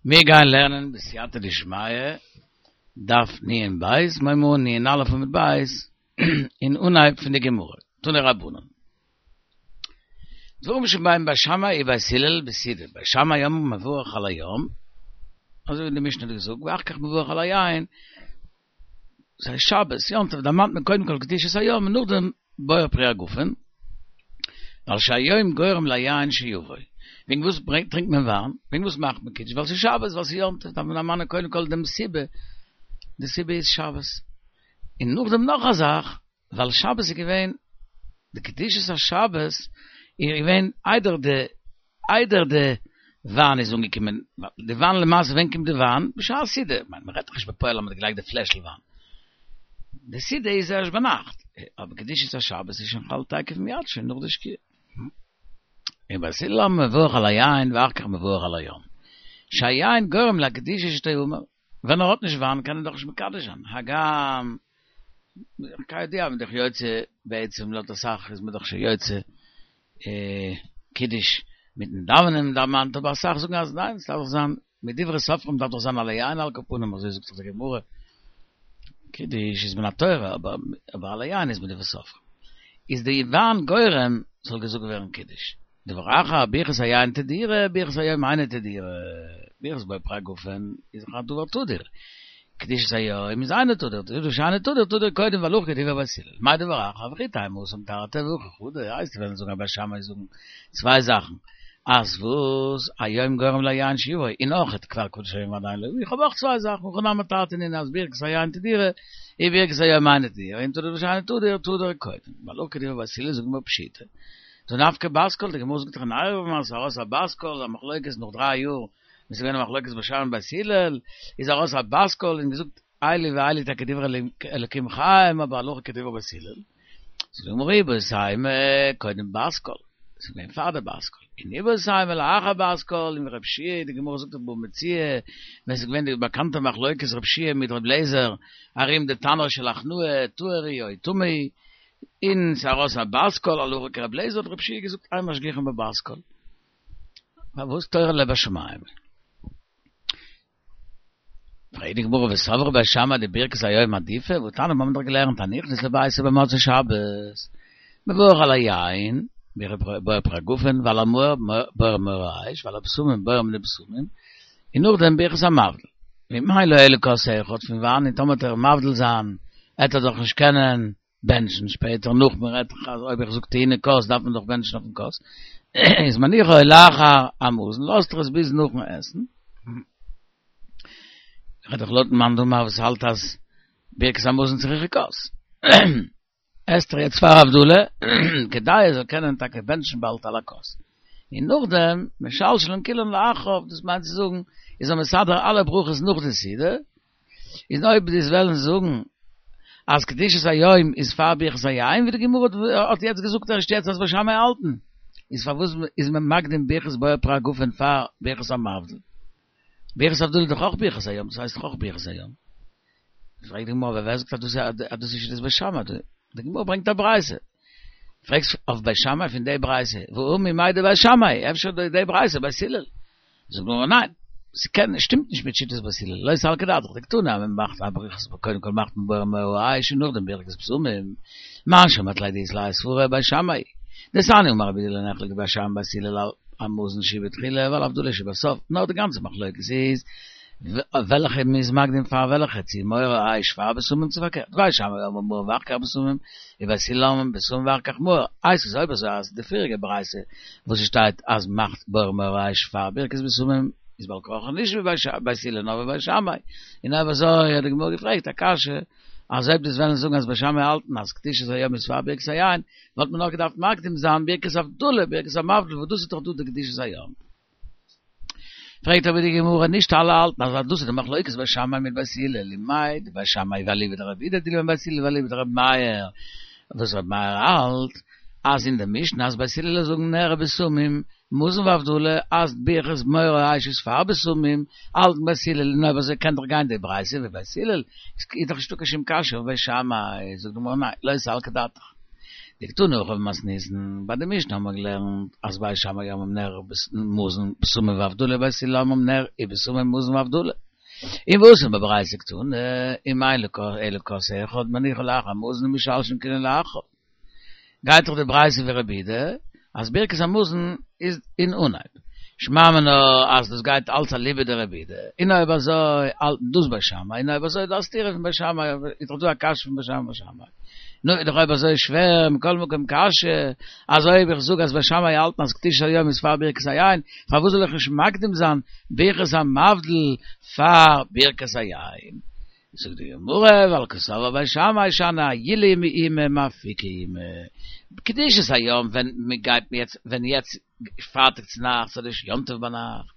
מיר גייען לערנען בסייעתא דשמיא, דף נ ב, מ'הייבט אן נ א עמוד ב', אין אנהייב פון די גמרא, תנו רבנן. דברים שבהם בית שמאי ובית הלל בסעודה, בית שמאי אומרים מברך על היום, אזוי ווי די משנה האט געזאגט, ואחר כך מברך על היין, ס'איז שבת, יום טוב, דערמאנט מען קודם כל קדושת היום און נאכדעם בורא פרי הגפן, ווייל שהיום גורם ליין שיבוא. וועגן וואס טרינקט מען וויין? וועגן וואס מאכט מען קידוש? ווייל ס'איז שבת, ווייל ס'איז יום טוב, דארף מען דערמאנען קודם כל דעם סיבה, די סיבה איז שבת. און נאכדעם נאך א זאך, ווייל שבת איז געווען, די קדושת השבת איז געווען איידער די איידער די וויין איז אנגעקומען, די וויין למעשה ווען קומט די וויין? בשעת סעודה, כ'מיין מ'רעדט דאך נישט בפועל אז מ'האט געלייגט די פלעשל וויין, די סעודה איז ערשט ביינאכט, אבער קדושת השבת איז שוין חל תיכף מיד שוין נאך די שקיעה. ובית הלל אומרים מברך על היין ואחר כך מברך על היום, שהיין גורם לקדושה שתאמר, ווען ער האט נישט וויין קען ער דאך נישט מקדש זיין, הגם כידוע מ'איז דאך יוצא בעצם לויט אסאך איז מען דאך שוין יוצא קידוש מיטן דאווענען דערמאנט אבער אסאך זאגן אז ניין ס'דארף דאך זיין מדברי סופרים דארף דאך זיין על היין על כל פנים אזוי זאגט דאך די גמרא קידוש איז מן התורה אבער על היין איז מדברי סופרים איז די וויין גורם ס'זאל געזאגט ווערן קידוש. דבר אחר, ברכת היין תדירה, ברכת היום אינה תדירה, ברכת בורא פרי הגפן איז דאך א דבר תדיר, קדושת היום איז אינו תדיר, דבר שאינו תדיר, תדיר קודם והלכה כדברי בית הלל, מאי דבר אחר, וכי תימא התם תרתי והכא חדא, הייסט וועלן זאגן אז בית שמאי זאגן צוויי זאכן, אז וואס, היום גורם ליין שיבוא, און אויך כבר קדש היום ועדיין לא, איך האב אויך צוויי זאכן, הכא נמי תרתי נינהו אז ברכת היין תדירה, און ברכת היום אינה תדירה, ואם תדיר דבר שאינו תדיר, תדיר קודם, והלכה כדברי בית הלל זאגן מיר פשיטא. דהא נפקא בת קול, די גמרא זאגט דאך אין עירובין אז ס'איז ארויס א בת קול, א מחלוקת נאך דריי יאר, ווען ס'איז געווען א מחלוקת בית שמאי בית הלל, איז ארויס א בת קול און געזאגט אלו ואלו טאקע דברי אלקים חיים אבער הלכה כדברי בית הלל. זאגט די גמרא איבעית אימא קודם בת קול, ס'איז געווען פאר די בת קול, און איבעית אימא לאחר בת קול, און ווי רב שיע, די גמרא זאגט אין בבא מציעא, ווען ס'איז געווען די באקאנטע מחלוקת רב שיע מיט רב לעזער ארום די תנור של הכנעה, טהור הוא או טמא הוא, און ס'איז ארויס א בת קול הלכה כרב לעזער האט רב שיע געזאגט אין משגיחין בבת קול. פארוואס תורה לבשמים? פרעגט די גמרא וסברי בית שמאי דברכת היום עדיפא והתניא מיר האבן דאך געלערנט הנכנס לביתו במוצאי שבת מברך על היין בורא פרי הגפן ועל המאור בורא מאורי האש ועל הבשמים בורא מיני בשמים און נאכדעם ברכת המבדיל ואם אין לו אלא כוס אחד פון וויין און טאמער וועט ער מבדיל זיין עט ער דאך נישט קענען בענטשן שפעטער נאך מען רעדט דאך אז אויב איך זאג טעונה כוס דארף מען דאך בענטשן אויפן כוס איז מניחו לאחר המזון לאזט ער עס ביז נאכן עסן רעדט דאך לויטן מאן דאמר וואס האלט אז ברכת המזון צריכה כוס עסט ער יעצט פאר הבדלה כדי ער זאל קענען טאקע בענטשן באלד על הכוס און נאכדעם משלשלן כולן לאחריו דאס מיינט צו זאגן איז ער מסדר אלע ברכות נאך די סעודה איז אויב דו'סט וועלן זאגן אז קדושת היום איז פאר ברכת היין ווי די גמרא האט יעצט געזאגט ערשט יעצט אז בית שמאי האלטן, איז פארוואס איז מען מקדים ברכת בורא פרי הגפן פאר ברכת המבדיל? ברכת הבדלה איז דאך אויך ברכת היום, דאס הייסט דאך אויך ברכת היום. פרעגט די גמרא אבער ווער זאגט אז דאס איז שיטת בית שמאי? די גמרא ברענגט א ברייתא. פרעגסט אויף בית שמאי פון די ברייתא, והא ממאי דבית שמאי, אפשר די ברייתא בית הלל. זאגט די גמרא ניין, ס'קען, שטימט נישט מיט שיטת בית הלל, לא סלקא דעתך, דקתני אז מען מאכט א ברכת, קודם כל מאכט מען בורא מאורי האש און נאכדעם ברכת בשמים, מאן שמעת ליה דאית ליה סברא בית שמאי, דתניא אמר רבי יהודה לא נחלקו בית שמאי ובית הלל על המזון שבתחילה ועל הבדלה שבסוף, נאר די גאנצע מחלוקת איז וועלכע מ'איז מקדים פאר וועלכע, צו מאורי האש פאר בשמים צו פארקערט, בית שמאי אומרים מאור ואחר כך בשמים, ובית הלל אומרים בשמים ואחר כך מאור, איי ס'איז אויב אזוי אז די פריעריגע ברייתא וואס עס שטייט אז מ'מאכט בורא מאורי האש פאר ברכת בשמים איז בעל כרחך נישט ווי בית הלל נאר ווי בית שמאי, און אויב אזוי האט די גמרא געפרעגט א קשיא אז אויב דו'סט וועלן זאגן אז בית שמאי האלטן אז קדושת היום איז פאר ברכת היין וואלט מען נאך געדארפט מקדים זיין ברכת הבדלה ברכת המבדיל וואס דאס איז דאך דא די קדושת היום. פרעגט אבער די גמרא, נישט אלע האלטן אז דאס איז די מחלוקת בית שמאי מיט בית הלל, ומאי דבית שמאי ואליבא דרבי יהודה דילמא בית הלל ואליבא דרבי מאיר, וואס רבי מאיר האלט אז אין די משנה אז בית הלל זאגן נר ובשמים, מזון והבדלה, אז ברכת מאורי האש איז פאר בשמים, האלטן בית הלל, און אויב אזוי קען דאך גיין די ברייתא ווי בית הלל, איז דאך נישטא קיין שום קשיא אויף בית שמאי, זאגט די גמרא ניין, לא סלקא דעתך. דקתני הכא במתניתין, ביי די משנה האבן מיר געלערנט אז בית שמאי אומרים נר מזון בשמים והבדלה בית הלל אומרים נר ובשמים מזון והבדלה. און והתם בברייתא קתני, אם אין לו אלא כוס אחד מניחו לאחר המזון ומשלשלין כולן לאחריו. גייט דאך די ברייתא ווי רבי יהודה אז ברכת המזון איז אין אנהייב. שמע מינה אז דאס גייט אלץ אליבא דרבי יהודה, און אויב אזוי האלטן דאס בית שמאי, און אויב אזוי איז דא א סתירה פון בית שמאי, איז דאך דא א קשיא פון בית שמאי בית שמאי. נו, איז דאך אויב אזוי שווער, מכל מקום קשיא, אז אויב איך זאג אז בית שמאי האלטן אז קדושת היום איז פאר ברכת היין, פארוואס זאל איך נישט מקדים זיין ברכת המבדיל פאר ברכת היין? זאגט די גמרא, ווייל קסבר בית שמאי שאני עיולי מאימא מאפיקי אימא, קדושת היום ווען מען גייט יעצט ווען יעצט פרייטאג צו נאכטס אדער יום טוב ביינאכט,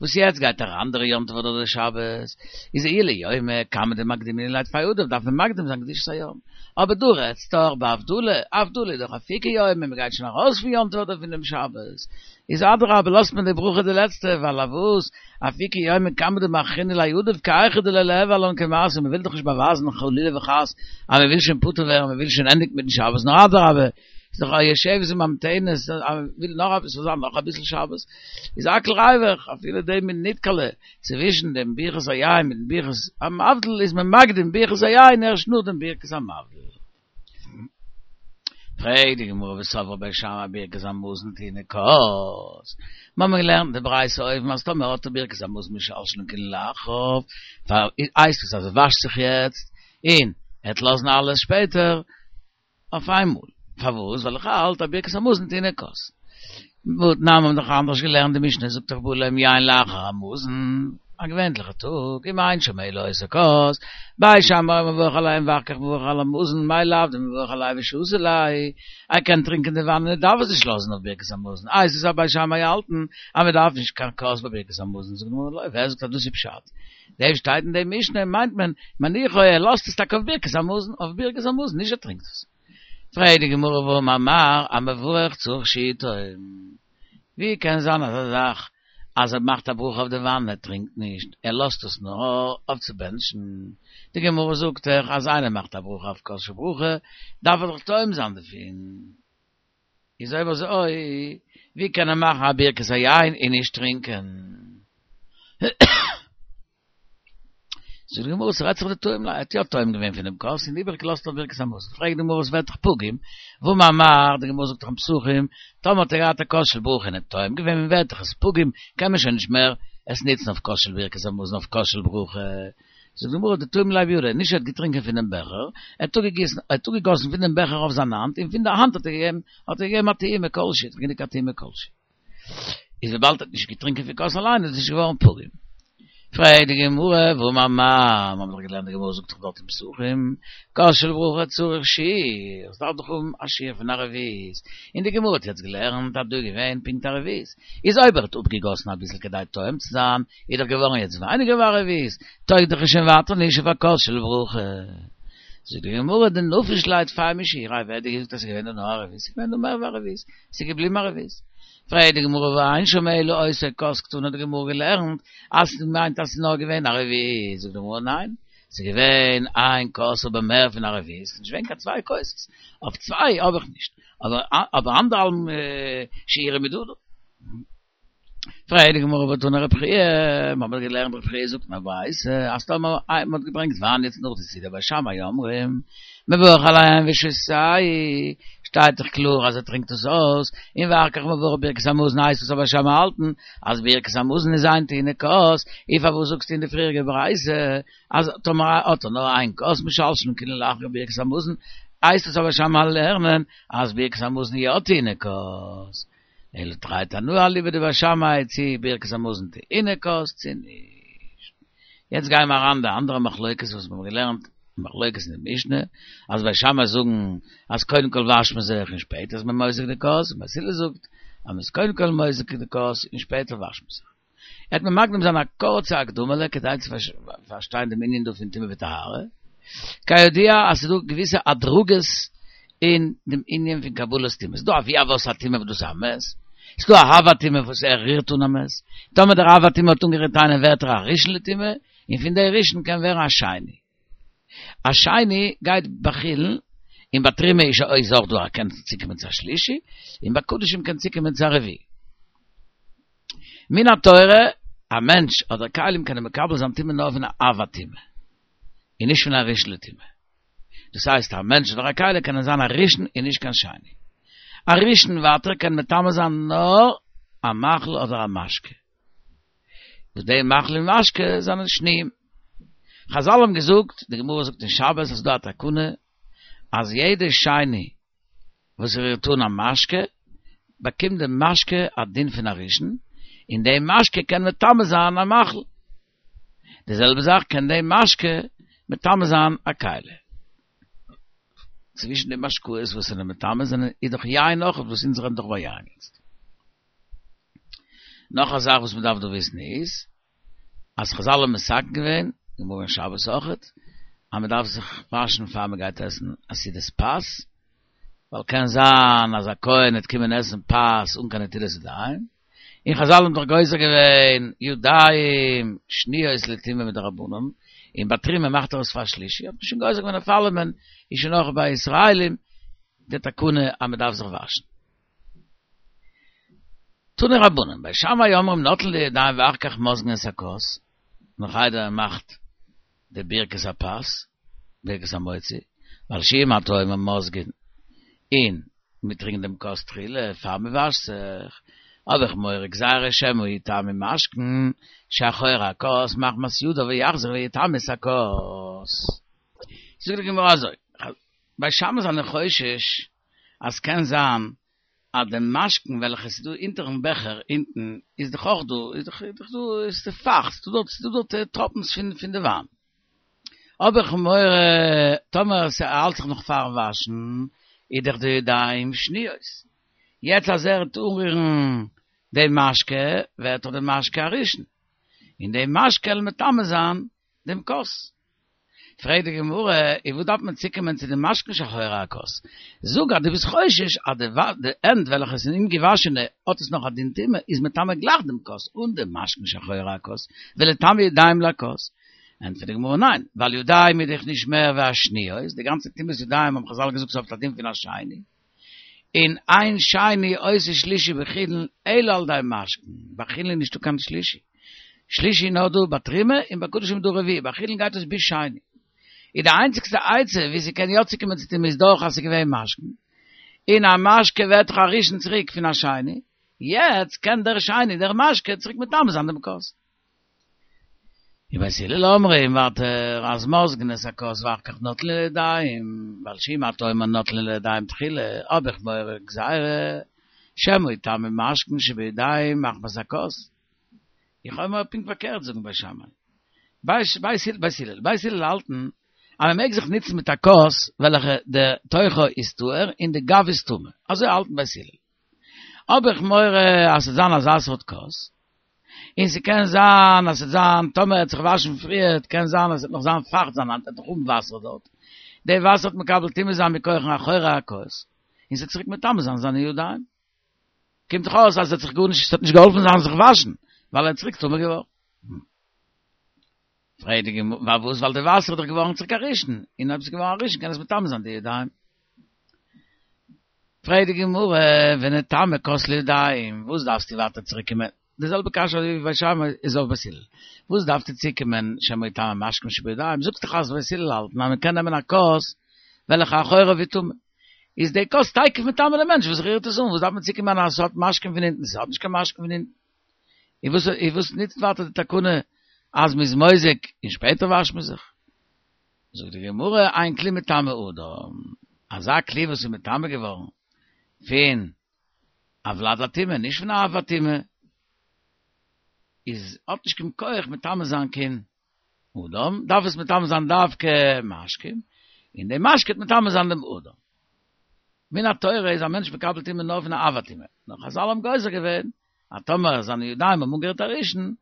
וואס יעצט גייט א אנדערע יום טוב אדער שבת, איז עיולי יומא כמה דמקדמינן ליה טפי עדיף דארף מען מקדים זיין קדושת היום, אבער דא רעדסט דאך בהבדלה, הבדלה איז דאך אפיקי יומא, מען גייט שוין ארויס פון יום טוב אדער פונעם שבת, איז אדרבה לאזט מען די ברכה די לעצטע, ווייל אויף וואס אפיקי יומא כמה דמאחרינן ליה עדיף כי היכי דלא ליהוי עלן כמעשה, מען וויל דאך נישט באווייזן חלילה וחס אז מען וויל שוין פטור ווערן, מען וויל שוין ענדיגן מיטן שבת, נאר אדרבה, איז דאך א יושבת וממתנת, אז מען וויל נאך אביסל זיין נאך אביסל שבת, איז הכל ריווח, אפילו די מינוטקעלע צווישן דעם ברכת היין מיטן ברכת המבדיל איז מען מקדים ברכת היין ערשט נאך דעם ברכת המבדיל. פרעגט די גמרא וסברה בית שמאי ברכת המזון טעונה כוס, מיר האבן געלערנט אין די ברייתא אויבן אז טאמער האט ער ברכת המזון משלשלין כולן לאחריו, הייסט עס אז ער וואשט זיך יעצט און ער וועט לאזן אלעס שפעטער אויף איינמאל, פארוואס? ווייל איך האלט אז ברכת המזון טעונה כוס. והתנן מיר האבן דאך אנדערש געלערנט די משנה זאגט דאך בא להם יין לאחר המזון, א געווענליכע טאג, אם אין שם אלא אותו כוס, בית שמאי אומרים מברך על היין ואחר כך מברך על המזון, מאי לאו דמברך עליה ושתי ליה, ער קען טרינקען די וויין און ער דארף עס נישט לאזן אויף ברכת המזון, איי ס'איז אז בית שמאי האלטן אז מען דארף נישט קיין כוס ביי ברכת המזון, זאגט די גמרא לא, ווער זאגט אז דאס איז פשט? דעם שטייט אין די משנה מיינט מען מניחו ער לאזט עס טאקע אויף ברכת המזון, אויף ברכת המזון, נישט ער טרינקט עס. פרעגט די גמרא והאמר מר המברך צריך שיהא טועם, ווי קען זיין אזא זאך אז ער מאכט א ברכה אויף די וויין ער טרינקט נישט, ער לאזט עס נאר אויף צו בענטשן, די גמרא זאגט דאך אז איינער מאכט א ברכה אויף כוס של ברכה דארף ער דאך טועם זיין דערפון, איז אויב אזוי ווי קען ער מאכן א ברכת היין און נישט טרינקען? זאגט די גמרא ס'רעדט זיך דטעים ליה, ער האט יא טועם געווען פונעם כוס און איבעריג געלאזט אויף ברכת המזון, פרעגט די גמרא עס ווערט דאך פגום, והאמר מר, די גמרא זאגט דאך אין פסחים, טאמער האט ער געהאט א כוס של ברכה און ער האט טועם געווען ווערט דאך עס פגום, קען מען שוין נישט מער עס נוצן אויף כוס של ברכת המזון אויף כוס של ברכה, זאגט די גמרא דטעים ליה בידיה, נישט ער האט געטרינקען פונעם בעכער, ער האט אפגעגיסן, ער האט אפגעגאסן פונעם בעכער אויף זיין האנט און פון די האנט האט ער געגעבן, האט ער געגעבן א טעימה כלשהי, גענוג א טעימה כלשהי. איז וויבאלד ער האט נישט געטרינקען פון כוס אליין איז עס נישט געווארן פגום. פרעגט די גמרא, והאמר מר, מיר האבן דאך געלערנט די גמרא זאגט דאך דארט אין פסחים, כוס של ברכה צריך שיעור, עס דארף דאך האבן א שיעור פון א רביעית, און די גמרא האט יעצט געלערנט אז דא איז געווען פונקט א רביעית, איז אויב ער האט אפגעגאסן אביסל כדי טועם צו זיין, איז דאך געווארן יעצט ווייניגער ווי א רביעית, טויג דאך עס שוין ווייטער נישט אויף א כוס של ברכה. זאגט די גמרא, דנפיש ליה טפי משיעוריה, ווער האט דיר געזאגט אז עס איז געווען דא נאר א רביעית, עס איז געווען דא מער ווי א רביעית, עס איז געבליבן א רביעית. פרעגט די גמרא והא אין שם אלא אותו כוס קתני האט די גמרא געלערנט אז ס'מיינט אז ס'איז נאר געווען א רביעית, זאגט די גמרא ניין, ס'איז געווען איין כוס אבער מער פון א רביעית, ס'איז נישט געווען קיין צוויי כוסות, אויף צוויי האב איך נישט, אבער אנדערהאלבן שיעורא דא. פרעגט די גמרא והתני רבי חייא, מ'האט געלערנט רבי חייא זאגט אין א ברייתא אז טאמער מ'האט געברענגט וויין יעצט נאך די סעודה בית שמאי אומרים מברך על היין ושותהו, שטייט דאך קלאר אז ער טרינקט עס אויס, און ואחר כך מברך ברכת המזון הייסט עס אז בית שמאי האלטן אז ברכת המזון איז אינה טעונה כוס, און פארוואס זאגסטו אין די פריעריגע ברייתא אז טאמער האט ער נאר איין כוס משלשלין כולן לאחר ברכת המזון, הייסט עס אז בית שמאי לערנען אז ברכת המזון יא טעונה כוס? אלא תרי תנאי אליבא דבית שמאי צי ברכת המזון טעונה כוס צי נישט. יעצט גייען מיר אריין די אנדערע מחלוקת וואס מיר האבן געלערנט, מחלוקת אין די משנה, אז בית שמאי זאגן אז קודם כל וואשט מען זיך און שפעטער איז מען מוזג די כוס, און בית הלל זאגט אז מען איז קודם כל מוזג די כוס און שפעטער וואשט מען זיך. וועט מען מקדים זיין א קורצע הקדמה'לע כדי צו פארשטיין דעם ענין דא פון טומאה וטהרה. כידוע אז ס'איז דא געוויסע הדרגות אין דעם ענין פון קבלת טומאה. ס'איז דא אבי אבות הטומאה וואס דאס איז א מת. ס'איז דא א אב הטומאה וואס ער רירט אן א מת. טאמער דער אב הטומאה האט אנגערירט איינעם ווערט ער א ראשון לטומאה, און פון דער ראשון קען ווערן א שני. א שני גייט בחולין. און ביי תרומה איז איז אויך דא א קען צוקומען צו א שלישי, און ביי קדשים קען צוקומען צו א רביעי. מן התורה, א מענטש אדער כלים קענען מקבל זיין טומאה נאר פון א אב הטומאה, און נישט פון א ראשון לטומאה. דאס הייסט א מענטש אדער א כלי קענען זיין א ראשון און נישט קיין שני. א ראשון ווייטער קען מטמא זיין נאר א מאכל אדער א משקה. וואס די מאכל און משקה זענען שניים. חזל האבן געזאגט, די גמרא זאגט אין שבת אז ס'דא א תקנה אז יעדע שני וואס רירט אן א משקה, באקומט די משקה א דין פון א ראשון, און די משקה קען מטמא זיין א מאכל. די זעלבע זאך קען די משקה מטמא זיין א כלי. צווישן די משקאות וואס זענען מטמא זענען איז דאך יין אויך, וואס אונז רעדן דאך ביי יין יעצט. נאך א זאך וואס מען דארף דא וויסן איז, אז חזל האבן מתקן געווען, גמרא אין שבת אויכעט, אז מען דארף זיך וואשן פאר מען גייט עסן א סעודת פת, ווייל קען זיין אז א כהן וועט קומען עסן פת אן קיין נטילת ידיים, און חזל האבן דאך גוזר געווען ידיים שניות לטומאה מדרבנן, און ביי תרומה מאכט ער עס פאר שלישי, האט מען שוין גוזר געווען אויף אלעמען, איז שוין אויך ביי ישראלים די תקנה אז מען דארף זיך וואשן. תנו רבנן, בית שמאי אומרים נוטלין לידיים ואחר כך מוזגין את הכוס, נאך איידער מען מאכט די ברכת הפת, ברכת המוציא, ווייל שאם אתה אומר מוזגין, און מען טרינקט דעם כוס תחילה פאר מען וואשט זיך, האב איך מורא גזירה שמא יטמא משקין שאחורי הכוס מחמת ידיו ויחזור ויטמא את הכוס. זאגט די גמרא אזוי, בית שמאי זענען חושש אז קען זיין אז די משקין וועלכע ס'איז דא אונטערן בעכער אונטן איז דאך אויך דא, איז דאך איז דאך דא איז די פאכט, ס'איז דא דארט ס'איז דא דארט טראפנס פון פון די וויין. האב איך מורא טאמער ס'האלט זיך נאך פארן וואשן איז דאך די ידיים שניות. יעצט אז ער וועט אנרירן די משקה ווערט דאך די משקה א ראשון. און די משקה על מטמא זיין דעם כוס. פרעגט די גמרא, און וואס דארף מען צוקומען צו די משקין שאחורי הכוס? זאג אז דו ביסט חושש אז די די הענט וועלכע איז אומגעוואשענע האט עס נאך א דין טומאה, איז מטמא גלייך דעם כוס אן די משקין שאחורי הכוס, וליטמא ידיים לכוס. ענטפערט די גמרא, ניין, ווייל ידיים איז דאך נישט מער ווי א שניות, די גאנצע טומאת ידיים האבן חזל געזאגט ס'האט א דין פון א שני, און אין שני עושה שלישי בחולין אלא על ידי משקין, ביי חולין איז נישטא קיין שלישי, שלישי איז נאר דא ביי תרומה און ביי קדשים איז דא רביעי, ביי חולין גייט עס ביז שני. איז די איינציגסטע עצה ווי ס'קען יא צוקומען צו טומאה איז דורך אז ס'איז געווען משקין, און א משקה ווערט דאך א ראשון צוריק פון א שני, יעצט קען דער שני דער משקה צוריק מטמא זיין דעם כוס. ובית הלל אומרים ווייטער אז מוזגין את הכוס ואחר כך נוטלין לידיים, ווייל שאם אתה אומר נוטלין לידיים תחילה, האב איך מורא גזירה שמא יטמא משקין שבידיים מחמת הכוס. איך האב מורא פונקט פארקערט זאגן בית שמאי. בית הלל, בית הלל האלטן אז מען מעג זיך נוצן מיט א כוס וועלכע די תוכו איז טהור און די גב איז טמא, אזוי האלטן בית הלל. האב איך מורא אז ס'וועט זיין אזא סארט כוס, און ס'קען זיין אז ס'וועט זיין, טאמער ער וועט זיך וואשן פריערט, קען זיין אז ס'וועט נאך זיין פאכט זיין האנט, ער וועט נאך האבן וואסער דארט, די וואסער וועט מקבל טומאה זיין מכח אחורי הכוס, און ס'וועט צוריק מטמא זיין זיינע ידיים. קומט דאך אויס אז עס האט זיך גארנישט, ס'האט נישט געהאלפן זיין זיך וואשן, ווייל ער איז צוריק טמא געווארן. פרעגט די גמרא, פארוואס? ווייל די וואסער איז דאך געווארן צוריק א ראשון, און אויב ס'איז געווארן א ראשון קען עס מטמא זיין די ידיים. פרעגט די גמרא, ונטמא כוס לידיים, וואס דארפסטו ווייטער צוריק קומען? די זעלבע קשיא אזוי ווי בית שמאי איז אויף בית הלל. וואס דארפסטו צוקומען שמא יטמא משקין שבידיים? זאגסט דאך אז בית הלל האלטן אז מען קען נעמען א כוס וועלכע אחוריו איז טמא. איז די כוס תיכף מטמא די מענטש וואס רירט עס אן, וואס דארף מען צוקומען אז עס האט משקין פון אונטן? עס האט נישט קיין משקין פון אונטן. און וואס און וואס נוצט ווייטער די תקנה אז מ'איז מוזג און שפעטער וואשט מען זיך? זאגט די גמרא אין כלי מטמא אדם, אזא כלי וואס איז מטמא געווארן פון א ולד הטומאה, נישט פון א אב הטומאה, איז האט נישט קיין כח מטמא זיין קיין אדם, דארף עס מטמא זיין דווקא משקים, און די משקה וועט מטמא זיין דעם אדם. מן התורה איז א מענטש מקבל טומאה נאר פון א אב הטומאה, נאר חזל האבן גוזר געווען אז טאמער זיינע ידיים האבן אנגערירט א ראשון,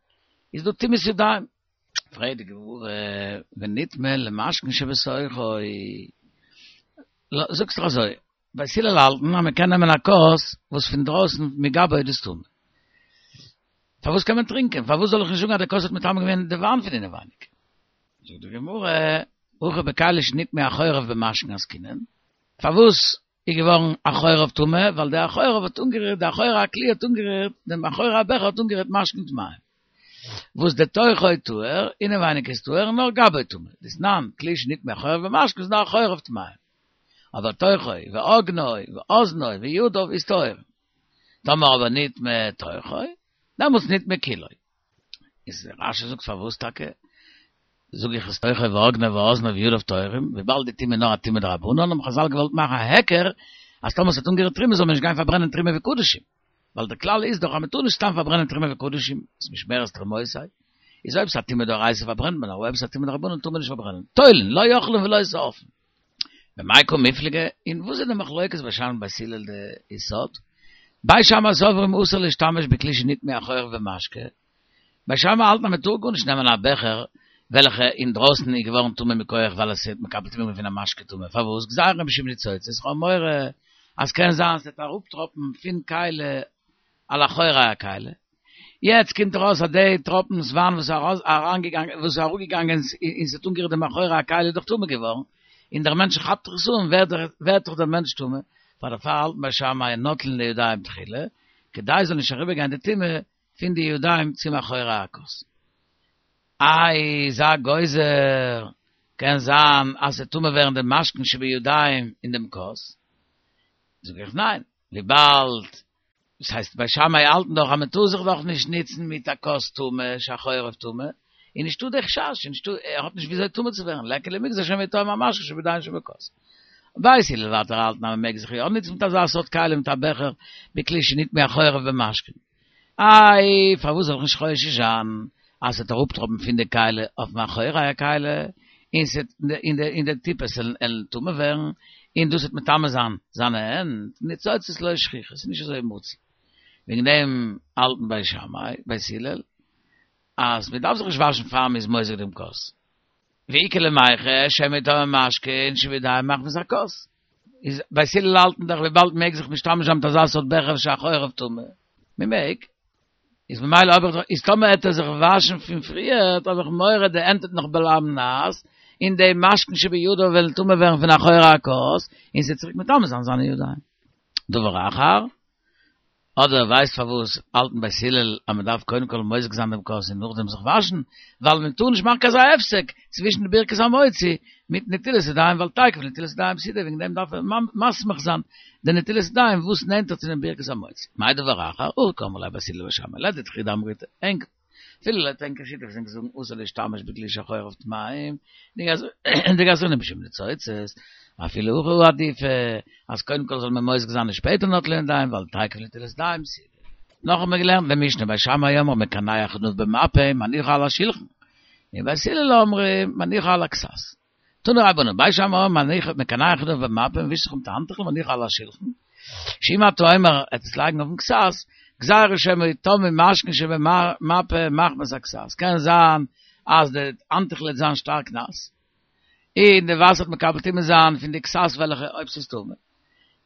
איז דא טומאת ידיים. פרעגט די גמרא, וניטמי למשקין שבתוכו, זאגסט דאך אזוי, בית הלל האלטן אז מען קען נעמען א כוס וואס פון דרויסן מגבו איז דאס טמא. פארוואס קען מען טרינקען? פארוואס זאל איך נישט זאגן אז די כוס האט מטמא געווען די וויין פון אינעווייניג? זאגט די גמרא, הכא בכלי שנטמאו אחוריו במשקין עסקינן. פארוואס איז געווארן אחוריו טמא? ווייל די אחוריו האט אנגערירט, די אחורי הכלי האט אנגערירט, דעם אחורי הבכר האט אנגערירט משקין טמאים. וואס די תוכו טהור, אינעווייניג איז טהור, נאר גבו טמא. דתנן, כלי שנטמאו אחוריו במשקין איז נאר אחוריו טמאים. אבער תוכו, ואוגנו, ואזנו, וידיו איז טהור. טאמער אבער נטמא תוכו, דעמאלטס נטמא כולו. איז רשי זאגט פארוואס טאקע זאג איך אז תוכו ואוגנו ואזנו וידיו טהורים, וויבאלד די טומאה איז נאר א טומאה דרבנן האבן חזל געוואלט מאכן א היכר אז טאמער ס'האט אנגערירט תרומה זאל מען נישט גיין פארברענען תרומה וקדשים, ווייל דער כלל איז דאך אז מ'טאר נישט סתם פארברענען תרומה וקדשים, איז משמרת תרומותי, איז אויב ס'איז א טומאה דאורייתא פארברענט מען, אבער אויב ס'איז א טומאה דרבנן טאר מען נישט פארברענען. תולין, לא אוכלין ולא שורפין. במאי קא מיפלגי, און וואס איז די מחלוקת בית שמאי בית הלל די יסוד? בית שמאי סוברים אסור להשתמש בכלי שנטמאו אחוריו במשקה, בית שמאי האלטן אז מען טאר גארנישט נעמען א בעכער וועלכע אינדרויסן איז געווארן טמא מכח ווייל עס האט מקבל טומאה געווען פון א משקה טמא, פארוואס? גזירה משום ניצוצות, כ'האב מורא אז קען זיין ס'וועט אראפטראפן פון כלי על אחורי הכלי, יעצט קומט ארויס אז די טראפנס וויין וואס איז אריינגעגאנגען וואס איז אראפגעגאנגען און ס'האט אנגערירט דעם אחורי הכלי איז דאך טמא געווארן, און דער מענטש כאפט דאך עס אן ווערט דאך דער מענטש טמא, פאר דערפאר האלטן בית שמאי נוטלין לידיים תחילה, כדי ס'זאל נישט אריבערגיין די טומאה פון די ידיים צום אחורי הכוס. איי זיי גוזר, קען זיין אז ס'וועט טמא ווערן די משקין שבידיים אין דעם כוס? זאג איך ניין, וויבאלד דאס הייסט בית שמאי האלטן דאך אז מען טאר זיך דאך נישט ניצן מיט א כוס טמא שאחוריו טמא, איז נישטא די חשש, איז נישטא, ער האט נישט וויאזוי טמא צו ווערן, ליכא למיגזר שמא יטמא המשקין שבידיים שבכוס. בית הלל ווייטער האלטן אז מען מעג זיך יא ניצן מיט אזא סארט כלי מיט א בעכער בכלי שנטמאו אחוריו במשקין. איי פארוואס זאל איך נישט חושש זיין אז ס'וועט אראפטראפן פון די כלי אויפן אחורי הכלי און ס'וועט און די טיפות וועלן טמא ווערן און דאס וועט מטמא זיין זיינע הענט, ניצוצות לא שכיחא, ס'איז נישט אזוי מצוי. וועגן דעם האלטן בית שמאי, בית הלל, אז מ'דארף זיך נישט וואשן פאר מ'איז מוזג דעם כוס. ואיכא למיחש שמא יטמא משקין שבידיים מחמת הכוס. איז בית הלל האלטן דאך וויבאלד מ'מעג זיך משתמש זיין מיט אזא סארט בעכער שאחוריו טמא, מ'מעג, איז ממילא האב איך דאך, איז טאמער העט ער זיך וואשן פון פריערט האב איך מורא די הענט וועט נאך בלייבן נאס, און די משקין שבידו וועלן טמא ווערן פון אחורי הכוס, און ס'וועט צוריק מטמא זיין זיינע ידיים. דבר אחר, אדער ווייסט פארוואס האלטן בית הלל אז מען דארף קודם כל מוזג זיין דעם כוס און נאכדעם זיך וואשן, ווייל מען טאר נישט מאכן קיין אזא הפסק צווישן די ברכת המוציא מיט נטילת ידיים ווייל תיכף לנטילת ידיים ס'איז דא וועגן דעם דארף מען מסמיך זיין די נטילת ידיים וואס נענטער צו דעם ברכת המוציא. מאי דבר אחר, הכי קאמרי ליה בית הלל לבית שמאי, לדידכו דאמריתו, ענק אפילו לויט ענקער שיטה וואס ענק זאגן אסור להשתמש בכלי שאחוריו טמאים, דגזרינן משום ניצוצות, אפילו הכי עדיפא, אז קודם כל זאל מען מוזג זיין און שפעטער נוטלין לידיים, ווייל תיכף לנטילת ידיים ס'איז. נאך האט מען געלערנט אין משנה בית שמאי אומרים מקנח כנף במפה מניחו על השולחן, און בית הלל אומרים מניחו על הכסת. תנו רבנן, בית שמאי אומרים מקנח כנף במפה, מען ווישט זיך מיט א האנטעכל מניחו על השולחן, שאם אתה אומר עטס לייגן אויפן כסת, גזירה שמא יטמאו משקין שבמפה מחמת הכסת, קען זיין אז די האנטעכל וועט זיין שטארק נאס, און די וואסער וועט מקבל טומאה זיין פון די כסת וועלכע אויב ס'איז טמא, און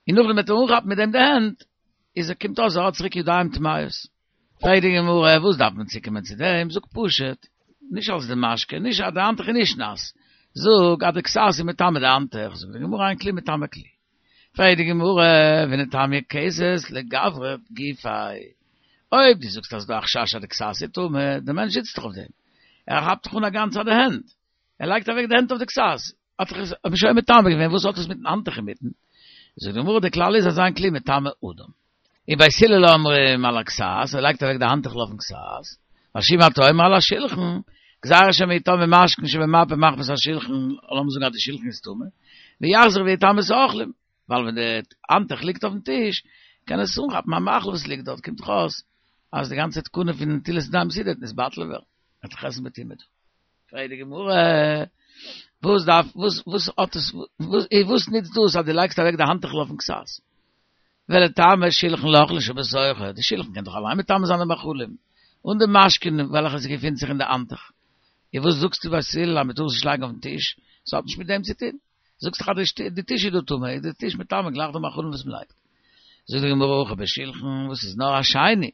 נאכדעם וועט ער אנכאפן מיט דעם די הענט, איז ער קומט אויס ער האט צוריק ידיים טמאות. פרעגט די גמרא, וואס דארף מען צוקומען צו דעם, זאג פשוט, נישט אלס די משקה, נישט אז די האנטוך איז נישט נאס, זאג אז די כסת איז מטמא די האנטוך, זאגט די גמרא אין כלי מטמא כלי. פרעגט די גמרא, ונטמיה כסת לגברא גופיה, אויב דו זאגסט אז ס'דא א חשש אז די כסת איז טמא, די מענטש זיצט דאך אויף דעם, ער כאפט דאך אן א גאנצע די הענט, ער לייגט אוועק די הענט אויף די כסת, האט דאך עס שוין מטמא געווען, וואס האט עס מיטן האנטוך אינמיטן? זאגט די גמרא, די כלל איז אז אין כלי מטמא אדם. און בית הלל אומרים על הכסת, ער לייגט אוועק די האנטעכל אויפן כסת, ווייל שאם אתה אומר על השולחן, גזירה שמא יטמאו משקין שבמפה מחמת השולחן, לאמיר זאגן אז די שולחן איז טמא, ויחזור ויטמא את האוכלים, ווייל ווען די האנטוך ליגט אויפן טיש, קען עס אנכאפן א מאכל וואס ליגט דארט, קומט דאך אויס אז די גאנצע תקנה פון נטילת ידיים סעודה וועט נתבטל ווערן, וועט זיך עסן בטומאה דא. פרעגט די גמרא, וואס דארף, וואס, וואס האט עס, וואס, וואס נוצט דאס אז דו לייגסט אוועק די האנטעכל אויפן כסת? ולטמא שלחן לאוכלין שבתוכו, די שלחן קען דאך אליין מטמא זיין די מאכלים, אן די משקין וועלכע ס'געפינט זיך אין די האנטוך. און וואס זאגסטו בית הלל אז מ'טאר עס נישט לייגן אויפן טיש? ס'האט נישט מיט דעם צו טון. זאגסט דאך אז די טיש איז דא טמא, איז די טיש מטמא גלייך די מאכלים וואס מ'לייגט. זאגט די גמרא הכא בשלחן וואס איז נאר א שני.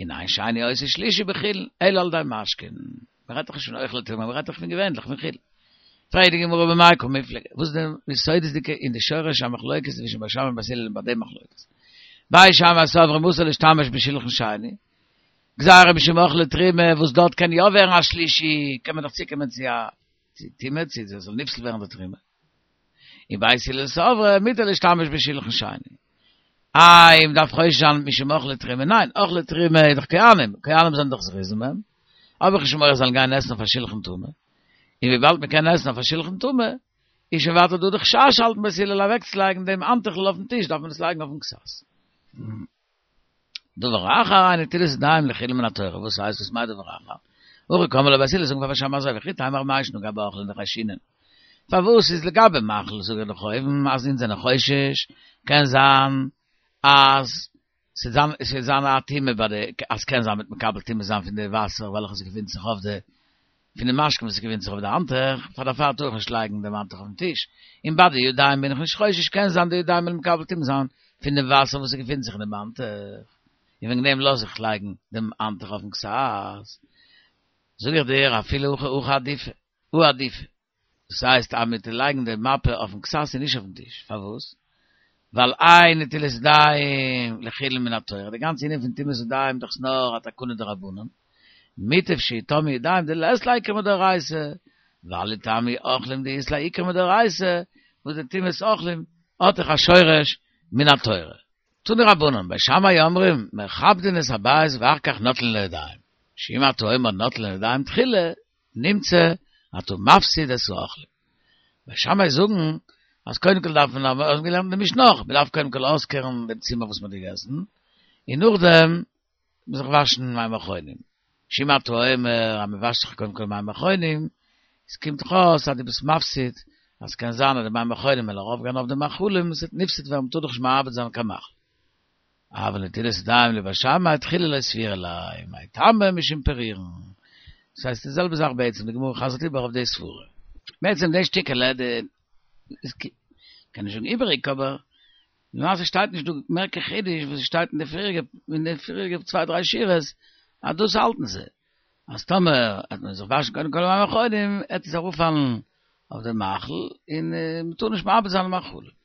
און אין שני עושה שלישי בחולין, אלא על ידי משקין. מ'רעדט דאך נישט פון אוכלי תרומה, מ'רעדט דאך פון געווענליך פון חולין. פרעגט די גמרא במאי קמיפלגי, וואס איז די יסודות'דיגע און די שורש המחלוקת צווישן בית שמאי און בית הלל ביי די מחלוקת? בית שמאי סברי מותר להשתמש בשולחן שני, גזירה משום אוכלי תרומה, וואס דארט קען יא ווערן א שלישי, קען מען דאך צוקומען צו א טומאה, צו עס זאל נפסל ווערן די תרומה. און בית הלל סברי מותר להשתמש בשולחן שני. איי, מען דארף חושש זיין משום אוכלי תרומה? ניין, אוכלי תרומה איז דאך כהנים, כהנים זענען דאך זריזים הם, האב איך נישט מורא זיי זאלן גיין עסן אויף א שולחן טמא. און וויבאלד מען קען עסן אויף א שולחן טמא, איז שוין ווייטער דא די חשש האלטן בית הלל אוועקצולייגן דעם האנטעכל אויפן טיש דארף מען עס לייגן אויפן כסת. דבר אחר אין נטילת ידיים לחולין מן התורה, וואס הייסט וואס מיינט דבר אחר? הכי קאמרי להו בית הלל זאגן פאר בית שמאי אזוי וכי תימא ר' מאיר שנגע באוכלין דחיישינן. פארוואס איז לגבי מאכל זאג איך דאך אויבן אז אונז זענען חושש, קען זיין אז ס'וועט זיין א טומאה ביי די, אז קען זיין מ'וועט מקבל טומאה זיין פון די וואסער וועלכע ס'געפינט זיך אויף די, פון די משקה וואס ס'געפינט זיך אויף די האנטוך, פאר דערפאר טאר איך נישט לייגן דעם האנטוך אויפן טיש, און ביי די ידיים בין איך נישט חושש קען זיין די ידיים וועלן מקבל טומאה זיין פון דעם וואסער וואס ס'געפינט זיך אין דעם האנטוך, און וועגן דעם לאז איך לייגן דעם האנטוך אויפן כסת. זאג איך דיר אפילו הכי הכי עדיפא, הא עדיפא. דאס הייסט אז מ'טוט לייגן די מפה אויפן כסת און נישט אויפן טיש, פארוואס? ווייל אין נטילת ידיים לחולין מן התורה, די גאנצע ענין פון טומאת ידיים איז דאך נאר א תקנה דרבנן, מוטב שיטמאו ידיים דלית להו עיקר מדאורייתא, ואל יטמאו אוכלים דאית להו עיקר מדאורייתא, וואס די טומאת אוכלים האט דאך א שורש מן התורה. תנו רבנן, בית שמאי אומרים, מכבדין את הבית ואחר כך נוטלין לידיים, שאם אתה אומר נוטלין לידיים תחילה, נמצא אתה מפסיד את האוכלים. בית שמאי זאגן אז קודם כל דארף מען, האבן געלערנט אין די משנה אויך, מען דארף קודם כל אויסקערן דעם צימער וואס מען האט געגעסן, און נאכדעם זיך וואשן מים אחרונים. שאם אתה אומר אז מען וואשט זיך קודם כל מים אחרונים, עס קומט דאך אויס אז דו ביסט מפסיד, אז ס'קען זיין אז די מים אחרונים וועלן ארויפגיין אויף די מאכלים, עס וועט נפסד ווערן, מען טאר דאך נישט מאבד זיין קיין מאכל. אבל נטילת ידיים לבית שמאי תחילה לא סבירא להו, מאי טעמא משום פירורין. דאס הייסט די זעלבע זאך בעצם, די גמרא חזר'ט איבער אויף די סברה. בעצם די שטיקעלע די איז קען נישט זאגן איבעריג אבער למעשה שטייט נישט דא מער קיין חידוש וואס שטייט אין די פריעריגע אין די פריעריגע צוויי דריי שורות אז דאס האלטן זיי אז טאמער וועט מען זיך וואשן קודם כל מים אחרונים עט עס ארויפפאלן אויף די מאכל און מ'טאר נישט מאבד זיין מאכלים.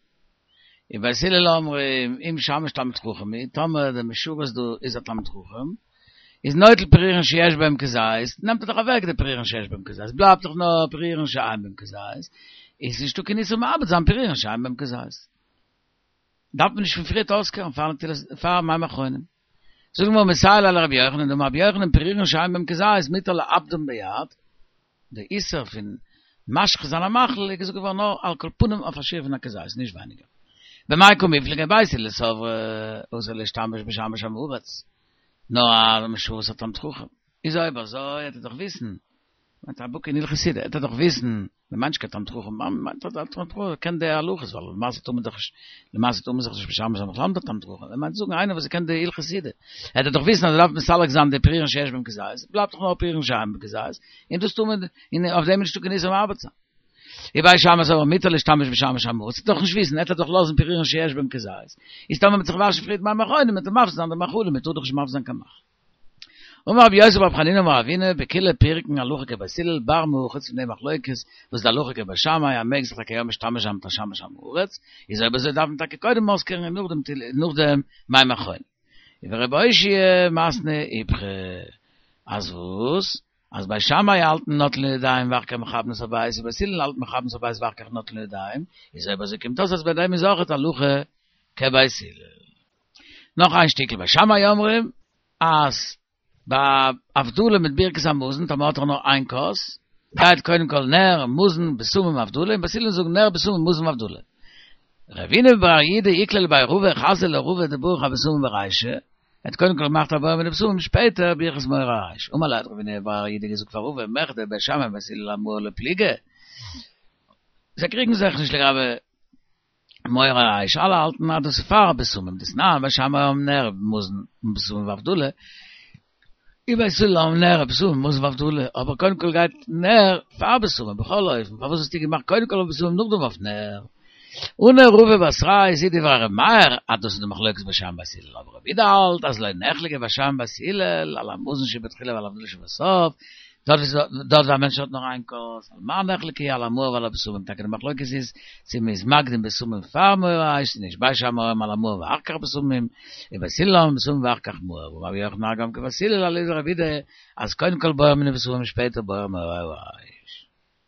ובית הלל אומרים אם שמש תלמיד חכם הוא, טאמער דער משרת דא איז א תלמיד חכם, איז נוטל פירורין שיש בהם כזית, נעמט ער דאך אוועק די פירורין שיש בהם כזית, בלייבט דאך נאר פירורין שאין בהם כזית, איז נישטא קיין איסור מאבד זיין פירורין שאין בהם כזית. דארף מען נישט פון פריערט אויסקערן פאר נטילת פאר מים אחרונים. זאגט די גמרא מסייע ליה לרבי יוחנן דאמר רבי יוחנן פירורין שאין בהם כזית מותר לאבדם ביד, די איסור פון משחית זיין א מאכל איז געזאגט געווארן נאר על כל פנים אויף א שיעור פון א כזית נישט ווייניגער. במאי קמיפלגי בית הלל סברי אסור להשתמש בשמש עם הארץ נאר א משרת א תלמיד חכם איז אויב אזוי עט ער דאך וויסן מיינט א בקי אין הלכות סעודה עט ער דאך וויסן מען מיינט נישט קיין תלמיד חכם, מען מיינט א תלמיד חכם קען די הלכות, ווייל למעשה טאר מען דאך נישט, למעשה טאר מען זיך נישט משמש זיין בכלל מיט א תלמיד חכם, מען מיינט זאגן איינער וואס קען די הלכות סעודה, עט ער דאך וויסן אז ער דארף מסלק זיין די פירורין שיש בהם כזית, בלייבט דאך נאר פירורין שאין בהם כזית, און דאס טאר מען, און אויף דעם איז נישטא קיין איסור מאבד זיין. ובית שמאי סברי מותר להשתמש בשמש עם הארץ, עט ער דאך נישט וויסן, עט ער דאך לאזן פירורין שיש בהם כזית, איז טאמער מ'וועט זיך וואשן פריערט מים אחרונים, וועט ער מפסיד זיין די מאכלים, מען טאר דאך נישט מפסיד זיין קיין מאכל. אמר רב יוסף בר חנינא אמר אבינא, בכולהו פירקין הלכה כבית הלל, בר מהא חוץ פון די מחלוקת וואס די הלכה כבית שמאי אז מעג זיך טאקע יא משתמש זיין מיט א שמש עם הארץ, איז אויב אזוי דארף מען טאקע קודם אויסקערן און נאכדעם נאכדעם מים אחרונים. ורבי אושעיא מתני איפכא, אז וואס? אז בית שמאי האלטן נוטלין לידיים ואחר כך מכבדין את הבית און בית הלל האלטן מכבדין את הבית ואחר כך נוטלין לידיים, איז אויב אזוי קומט אויס אז ביי דעם איז אויכעט הלכה כבית הלל. נאך איין שטיקל בית שמאי אומרים אז ביי הבדלה מיט ברכת המזון טאמער האט ער נאר איין כוס גייט קודם כל נר מזון בשמים הבדלה און בית הלל זאגן נר בשמים מזון הבדלה רבינא בר יהודה איקלע לבי רבא חזייה לרבא דבריך אבשמים ברישא ער האט קודם כל געמאכט א בורא מיני בשמים שפעטער ברכת מאורי האש אמר ליה האט רבינא בר יהודה געזאגט פאר רבא מכדי בית שמאי ובית הלל אמהא לא פליגי זיי קריגן זיך נישט לגבי מאורי האש, אלע האלטן אז דאס איז פאר בשמים, דתנן בית שמאי אומרים נר מזון בשמים והבדלה, ובית הלל אומרים נר בשמים מזון והבדלה, אבער קודם כל גייט נר פאר בשמים, בכל אופן פארוואס האסטו געמאכט קודם כל אויף בשמים נאכדעם אויף נר? עני רבא בתריה זו דברי ר' מאיר אז דאס איז די מחלוקת בית שמאי בית הלל, אבער רבי יהודה האלט אז לא נחלקו בית שמאי ובית הלל על המזון שבתחילה ועל הבדלה שבסוף. דארט דארט ווי א מענטש האט נאר איין כוס, על מה נחלקו על המאור ועל הבשמים, טאקע די מחלוקת איז צו מען איז מקדים בשמים פאר מאור האש צו נישט, בית שמאי אומרים על המאור ואחר כך בשמים, און בית הלל אומרים בשמים ואחר כך מאור, ואמר רבי יוחנן גם כבית הלל אליבא דרבי יהודה אז קודם כל בורא מיני בשמים שפעטער בורא מאורי האש.